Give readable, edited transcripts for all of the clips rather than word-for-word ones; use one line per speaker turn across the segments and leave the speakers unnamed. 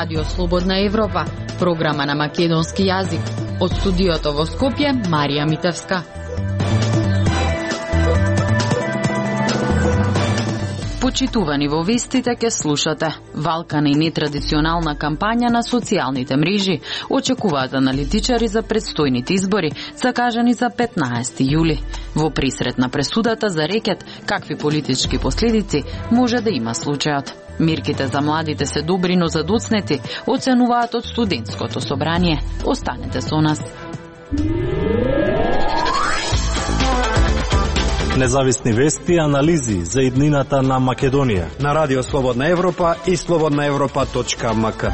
Радио Слободна Европа, програма на македонски јазик. Од студиото во Скопје, Марија Митевска. Почитувани во вестите ке слушате. Валкана и нетрадиционална кампања на социјалните мрежи очекуваат аналитичари за предстојните избори, закажани за 15 јули. Во присрет на пресудата за рекет какви политички последици може да има случајот. Мерките за младите се добри, но задоцнети, оценуваат од студентското собрание. Останете со нас.
Независни вести и анализи за иднината на Македонија
на Радио Слободна Европа и slobodnaevropa.mk.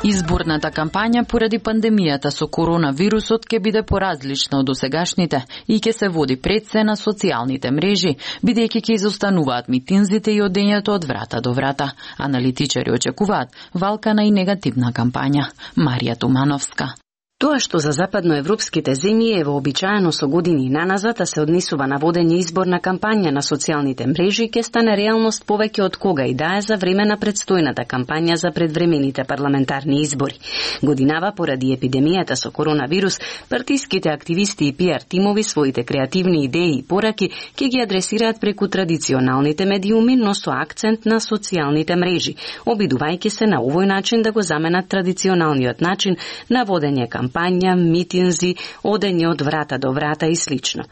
Изборната кампања поради пандемијата со коронавирусот ќе биде поразлична од досегашните и ќе се води пред се на социјалните мрежи, бидејќи ќе изостануваат митинзите и одењето од врата до врата. Аналитичари очекуваат валкана и негативна кампања. Марија Тумановска.
Тоа што за западноевропските земји е вообичаено со години наназад, а се однесува на водење изборна кампања на социјалните мрежи, ќе стане реалност повеќе од кога и да е за време на предстојната кампања за предвремените парламентарни избори. Годинава, поради епидемијата со коронавирус, партиските активисти и пиар тимови своите креативни идеи и пораки ќе ги адресираат преку традиционалните медиуми, но со акцент на социјалните мрежи, обидувајќи се на овој начин да го заменат традиционалниот начин на водење кампања, митинзи, одење од врата до врата и слично.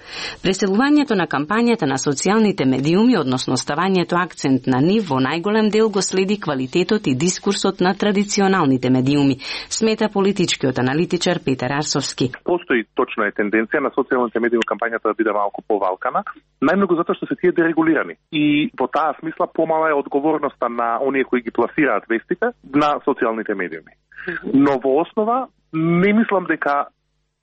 Преселувањето на кампањата на социјалните медиуми, односно ставањето акцент на нив, во најголем дел го следи квалитетот и дискурсот на традиционалните медиуми, смета политичкиот аналитичар Петар Арсовски.
Постои точно е тенденција на социјалните медиуми кампањата да биде малку повалкана, најмногу затоа што се тие дерегулирани. И во таа смисла помала е одговорноста на оние кои ги пласираат вестите на социјалните медиуми. Но во основа не мислам дека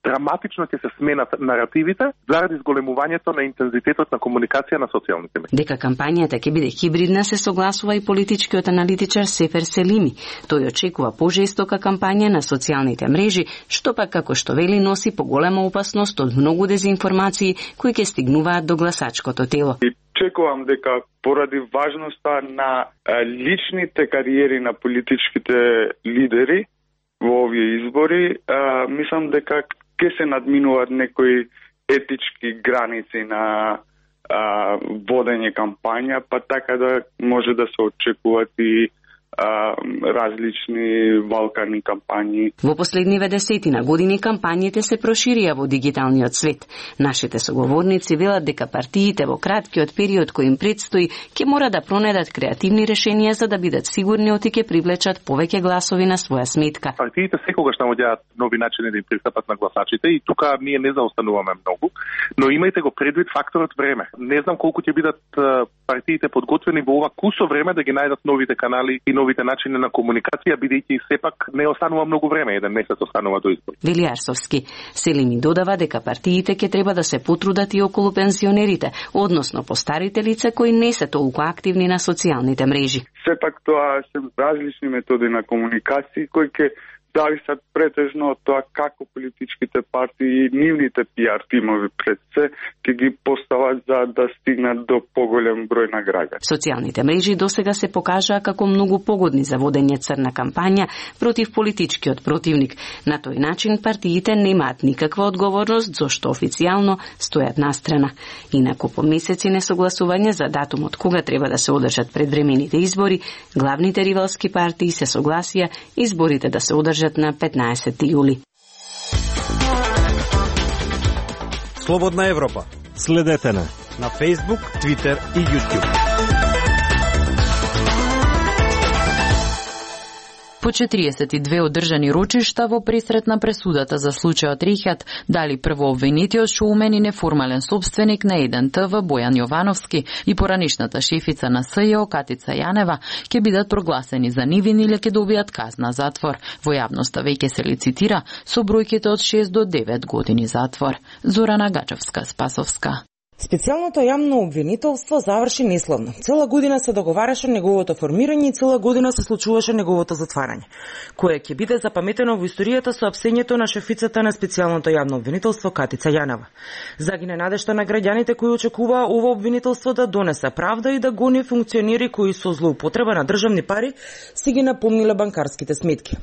драматично ќе се сменат наративите заради зголемувањето на интензитетот на комуникација на социјалните медии.
Дека кампањата ќе биде хибридна се согласува и политичкиот аналитичар Сефер Селими. Тој очекува пожестока кампања на социјалните мрежи, што пак како што вели носи поголема опасност од многу дезинформации кои ќе стигнуваат до гласачкото тело.
Очекувам дека поради важноста на личните кариери на политичките лидери во овие избори, мислам дека ќе се надминуваат некои етички граници на водење кампања, па така да може да се очекуваат и различни валкани кампањи.
Во последниве десетина години кампањите се проширија во дигиталниот свет. Нашите соговорници велат дека партиите во краткиот период кој им предстои ќе мора да пронедат креативни решенија за да бидат сигурни оти ќе привлечат повеќе гласови на своја сметка.
Партиите секогаш наоѓаат нови начини да им пристапат на гласачите и тука ние не заостануваме многу, но имајте го предвид факторот време. Не знам колку ќе бидат партиите подготвени во ова кусо време да ги најдат новите канали и новите начини на комуникација, бидејќи сепак не останува многу време, еден месец останува до избори.
Вели Арсовски. Селими додава дека партиите ќе треба да се потрудат и околу пензионерите, односно постарите лица кои не се толку активни на социјалните мрежи.
Сепак тоа се различни методи на комуникација кои ќе зависат претежно од тоа како политичките партии и нивните пиар тимови пред се ќе ги постават за да стигнат до поголем број на граѓани.
Социјалните мрежи досега се покажаа како многу погодни за водење црна кампања против политичкиот противник. На тој начин партиите немаат никаква одговорност зашто официјално стојат настрана. Инаку по месеци несогласување за датумот кога треба да се одржат предвремените избори, главните ривалски партии се согласија изборите да се одржат на 15 јули.
Слободна Европа.
Следете на
Facebook, Twitter и YouTube.
По 42 одржани рочишта во пресрет на пресудата за случајот Рихат, дали прво обвинетиот шоумен и неформален собственик на 1TV Бојан Јовановски и поранишната шефица на СЈО Катица Јанева ќе бидат прогласени за невини или ќе добијат казна затвор. Во јавноста веќе се лицитира со бројките од 6 до 9 години затвор. Зорана Гачевска, Спасовска.
Специјалното јавно обвинителство заврши неславно. Цела година се договараше неговото формирање и цела година се случуваше неговото затварање, кое ќе биде запаметено во историјата со апсењето на шефицата на специјалното јавно обвинителство Катица Јанова. Загине надежта на граѓаните кои очекуваа ова обвинителство да донесе правда и да гони функционери кои со злоупотреба на државни пари си ги напомниле банкарските сметки.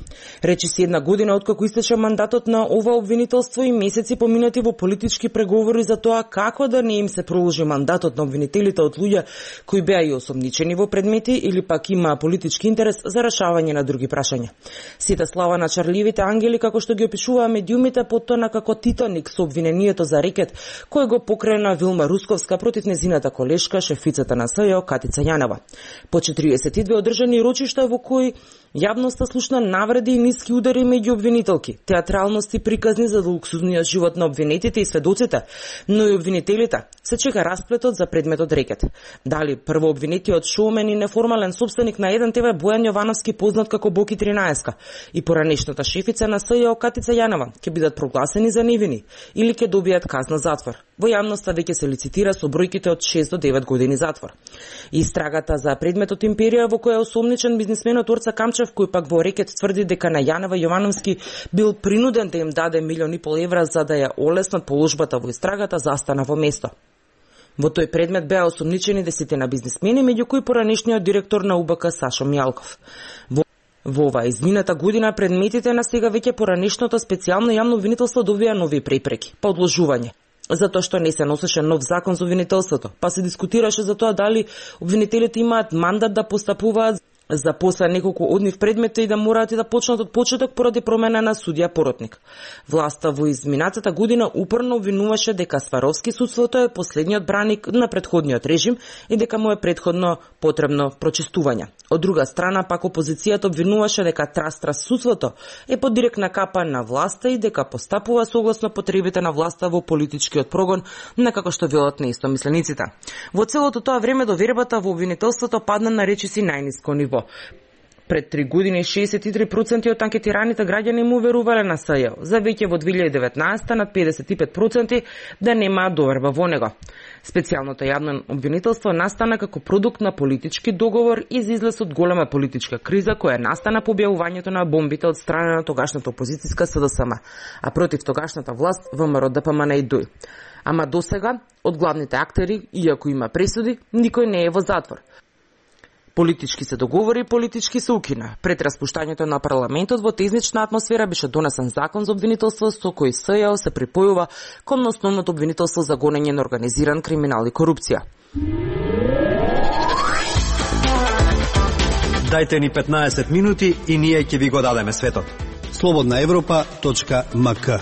Речиси една година откако истече мандатот на ова обвинителство и месеци поминати во политички преговори за тоа како да не им се проложи мандатот на обвинителите од луѓе кои беа и осомничени во предмети или пак имаа политички интерес за решавање на други прашања. Сите слава на чарливите ангели, како што ги опишуваа медиумите, потона како Титаник со обвинението за рекет кој го покрена Вилма Русковска против незината колешка, шефицата на СЈО Катица Јанова. По 42 одржани рочишта во кои јавноста слушна навреди и ниски удари меѓу обвинителки, театралности приказни за луксузниот живот на обвинетите и сведоците, но и обвинителите се чека расплетот за предметот рекет. Дали прво обвинетиот шоумен и неформален собственик на 1 ТВ Бојан Јовановски, познат како Боки 13 и поранешната шефица на СЈО Катица Јанова ќе бидат прогласени за невини или ќе добијат казна затвор. Во јавноста веќе се лицитира со бројките од 6 до 9 години затвор. Истрагата за предметот Империја, во која е осомничен бизнисменот Орца Камчев, кој пак во рекет тврди дека на Јанова Јовановски бил принуден да им даде 1,5 милиони евра за да ја олеснат положбата во истрагата, застана во место. Во тој предмет беа осомничени 10 бизнисмени, меѓу кои поранешниот директор на УБК Сашо Мјалков. Во оваа измината година предметите на сега веќе поранешното специјално јавно обвинителство добија нови препреки, па одложување. Затоа што не се носеше нов закон за обвинителството, па се дискутираше за тоа дали обвинителите имаат мандат да постапуваат за после неколку од нив предмети и да мораат и да почнат од почеток поради промена на судија поротник. Власта во изминатата година упорно обвинуваше дека Сваровски судството е последниот браник на претходниот режим и дека му е претходно потребно прочистување. Од друга страна, пак опозицијата обвинуваше дека Трас судството е под директна капа на власта и дека постапува согласно потребите на власта во политичкиот прогон, на како што велат неистомислениците. Во целото тоа време довербата во обвинителството падна на речиси најниско ниво. Пред 3 години 63% од анкетираните граѓани му верувале на СЈО, за веќе во 2019 над 55% да немаат доверба во него. Специјалното јавно обвинителство настана како продукт на политички договор и излез од голема политичка криза која настана по објавувањето на бомбите од страна на тогашната опозицијска СДСМ, а против тогашната власт ВМРО ДПМН и ДУИ. Ама досега од главните актери, иако има пресуди, никој не е во затвор. Политички се договори, политички се укина. Пред распуштањето на парламентот во тезнична атмосфера беше донесен закон за обвинителство со кој СЈО се припојува кон основното обвинителство за гонење на организиран криминал и корупција.
Дајте ни 15 минути и ние ќе ви го дадеме светот. slobodnaevropa.mk.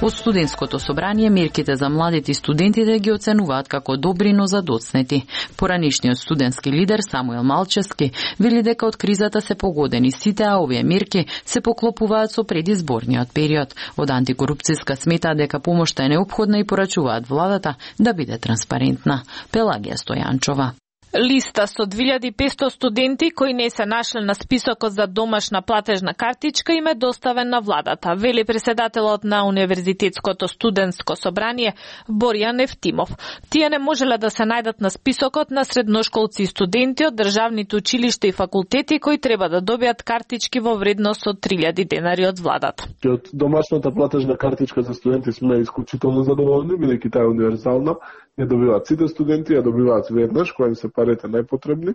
Од студентското собрание мерките за младите и студентите ги оценуваат како добри, но задоцнети. Поранешниот студентски лидер Самуел Малчевски вели дека од кризата се погодени сите, а овие мерки се поклопуваат со предизборниот период. Од антикорупцијска сметаат дека помошта е неопходна и порачуваат владата да биде транспарентна. Пелагија Стојанчова.
Листа со 2500 студенти кои не се нашле на списокот за домашна платежна картичка им е доставен на владата, вели преседателот на Универзитетското студентско собрание Боријан Евтимов. Тие не можеле да се најдат на списокот на средношколци и студенти од државните училишта и факултети кои треба да добијат картички во вредност од 3000 денари од владата.
Од домашната платежна картичка за студенти сме исклучително задоволни, бидејќи таа е универзална. Ја добиваат сите студенти, ја добиваат веднаш, која им се парите најпотребни.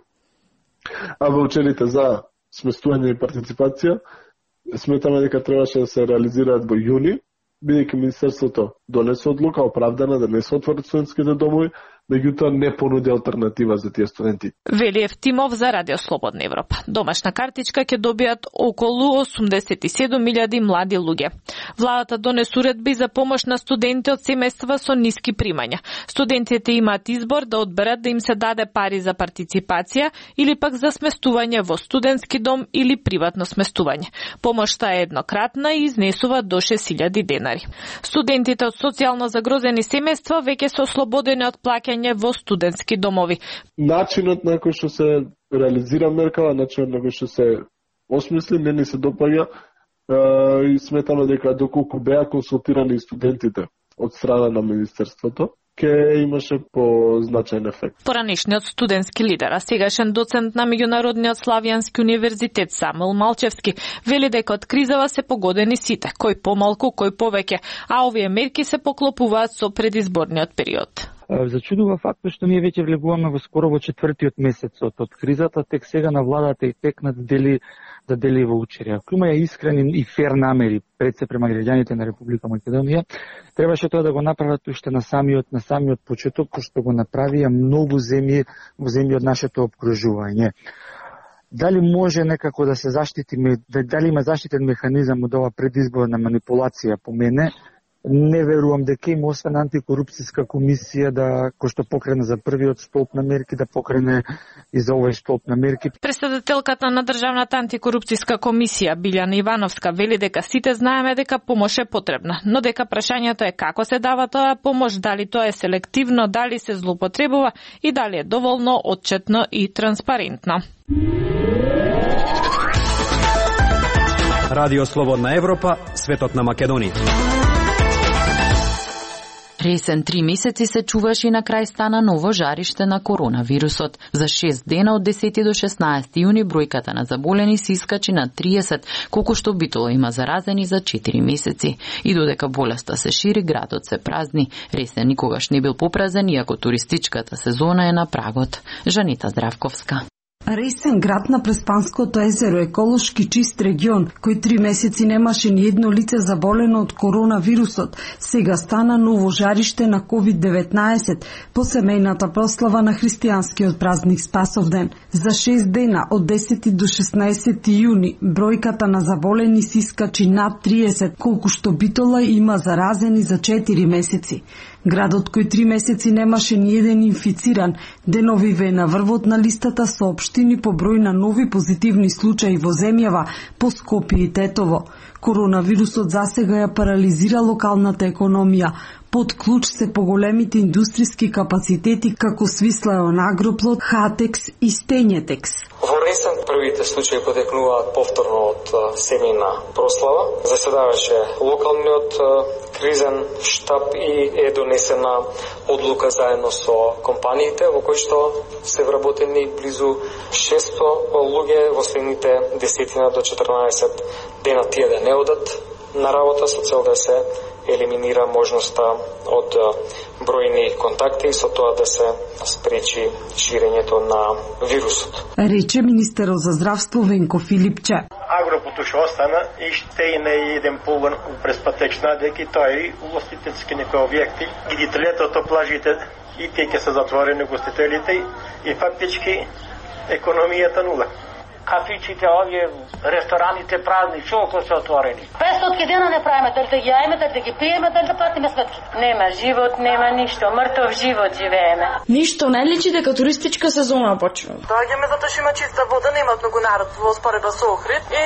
А ваучерите за сместување и партиципација сметаме дека требаше да се реализираат во јуни, бидејќи Министерството донесе одлука оправдана да не се отворат студентските домови, меѓутоа не понуди алтернатива за тие студенти.
Вели Евтимов за Радио Слободна Европа. Домашна картичка ќе добијат околу 87.000 млади луѓе. Владата донесе уредби за помош на студенти од семејства со ниски примања. Студентите имаат избор да одберат да им се даде пари за партиципација или пак за сместување во студентски дом или приватно сместување. Помошта е еднократна и изнесува до 6.000 денари. Студентите од социјално загрозени семејства веќе се ослободени од плаќање во студентски домови.
Начинот на кој што се реализира меркава, начинот на кој што се осмисли, не се допаѓа и сметаме дека доколку беа консултирани студентите од страна на Министерството, ќе имаше позначаен ефект.
Поранешниот студентски лидер, а сегашен доцент на Меѓународниот Славјански универзитет Самуил Малчевски вели дека од кризава се погодени сите, кој помалку, кој повеќе, а овие мерки се поклопуваат со предизборниот период.
Зачудува фактот што ние веќе влегуваме во скоро во четвртиот месец од кризата, тек сега на владата и текнат да дели ваучери. Ако има искрени и фер намери пред се према граѓаните на Република Македонија, требаше тоа да го направат уште на самиот почеток, што го направија многу земји од нашето опкружување. Дали може некако да се заштитиме, дали има заштитен механизам од ова предизборна манипулација по мене? Не верувам дека има освен антикорупцијска комисија кој што покрене за првиот столб на мерки, да покрене и за овој столб на мерки.
Председателката на Државната антикорупцијска комисија Билјана Ивановска вели дека сите знаеме дека помош е потребна, но дека прашањето е како се дава тоа помош, дали тоа е селективно, дали се злоупотребува и дали е доволно отчетно и транспарентно.
Радио Слободна Европа, светот на Македонија.
Ресен 3 месеци се чуваш и на крај стана ново жариште на коронавирусот. За 6 дена од 10 до 16 јуни бројката на заболени се искачи на 30, колку што битоло има заразени за 4 месеци. И додека болеста се шири, градот се празни. Ресен никогаш не бил попразен, иако туристичката сезона е на прагот. Жанита Здравковска.
Ресен, град на Преспанското езеро, еколошки чист регион, кој 3 месеци немаше ни едно лице заболено од коронавирусот, сега стана ново жариште на COVID-19 по семејната прослава на христијанскиот празник Спасовден. За 6 дена од 10 до 16 јуни бројката на заболени се искачи над 30, колку што битола има заразени за 4 месеци. Градот кој 3 месеци немаше ни еден инфициран, деновиве е на врвот на листата со општини по број на нови позитивни случаи во земјава, по Скопје и Тетово. Коронавирусот засега ја парализира локалната економија. Под клуч се поголемите индустријски капацитети како Свислеон Агроплод, Хатекс и Стењетекс.
Во Ресен првите случаи потекнуваат повторно од семејна прослава. Заседаваше локалниот кризен штаб и е донесена одлука заедно со компаниите во кои што се вработени близу 600 луѓе во следните 10 до 14 дена тие да не одат на работа со цел да се елиминира можноста од бројни контакти и со тоа да се спречи ширењето на вирусот.
Рече министерот за здравство Венко Филипче.
Агропото ќе остана и ще има еден погон през патечна, дека тоа и угостителски некои објекти, и летото плажите и тие ќе се затворени гостителите и фактички економијата нула.
Кафичите, овие рестораните празни, чолку се отворени.
500 дена не правиме, дали да ги јаеме, дали да ги пиеме, дали да платиме сметки. Нема живот, нема ништо, мртов живот живееме.
Ништо не личи дека туристичка сезона почва.
Доаѓаме затоа што има чиста вода, нема многу народ во споредба со Охрид и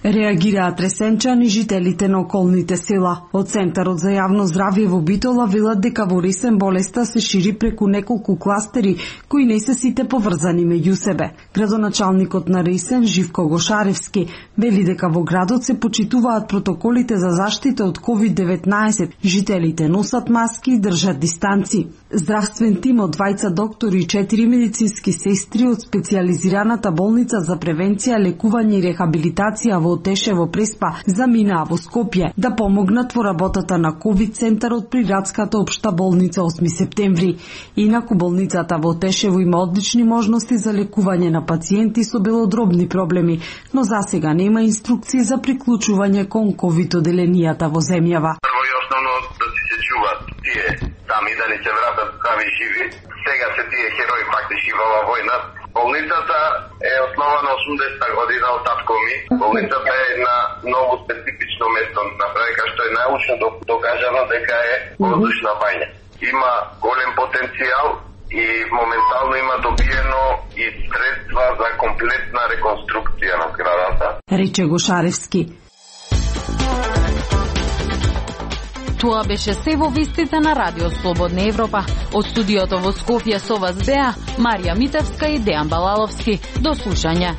реагираат ресенчани жителите на околните села. Од Центарот за јавно здравје во Битола велат дека во Ресен болеста се шири преку неколку кластери кои не се сите поврзани меѓу себе. Градоначалникот на Ресен Живко Гошаревски вели дека во градот се почитуваат протоколите за заштита од COVID-19. Жителите носат маски и држат дистанци. Здравствен тим од 2 доктори и 4 медицински сестри од специјализираната болница за превенција, лекување и рехабилитација во Отешево Преспа заминаа во Скопје да помогнат во работата на ковид центарот при градската општа болница 8 септември. Инаку болницата во Отешево има одлични можности за лекување на пациенти со белодробни проблеми, но засега нема инструкции за приклучување кон ковид оделенијата во земјава.
Прво и основно да се чуваат тие сами да не се вратат здрави и живи. Сега се тие херои фактички во оваа војна. Болницата е основана 80-та година од татко ми. Болницата е една многу специфично место, направека што е научно докажано дека е воздушна бања. Има голем потенцијал и моментално има добиено и средства за комплетна реконструкција на зградата.
Рече Гошаревски.
Тоа беше се во вестите на Радио Слободна Европа. Од студиото во Скопје со вас беа Марија Митевска и Дејан Балаловски. До слушање.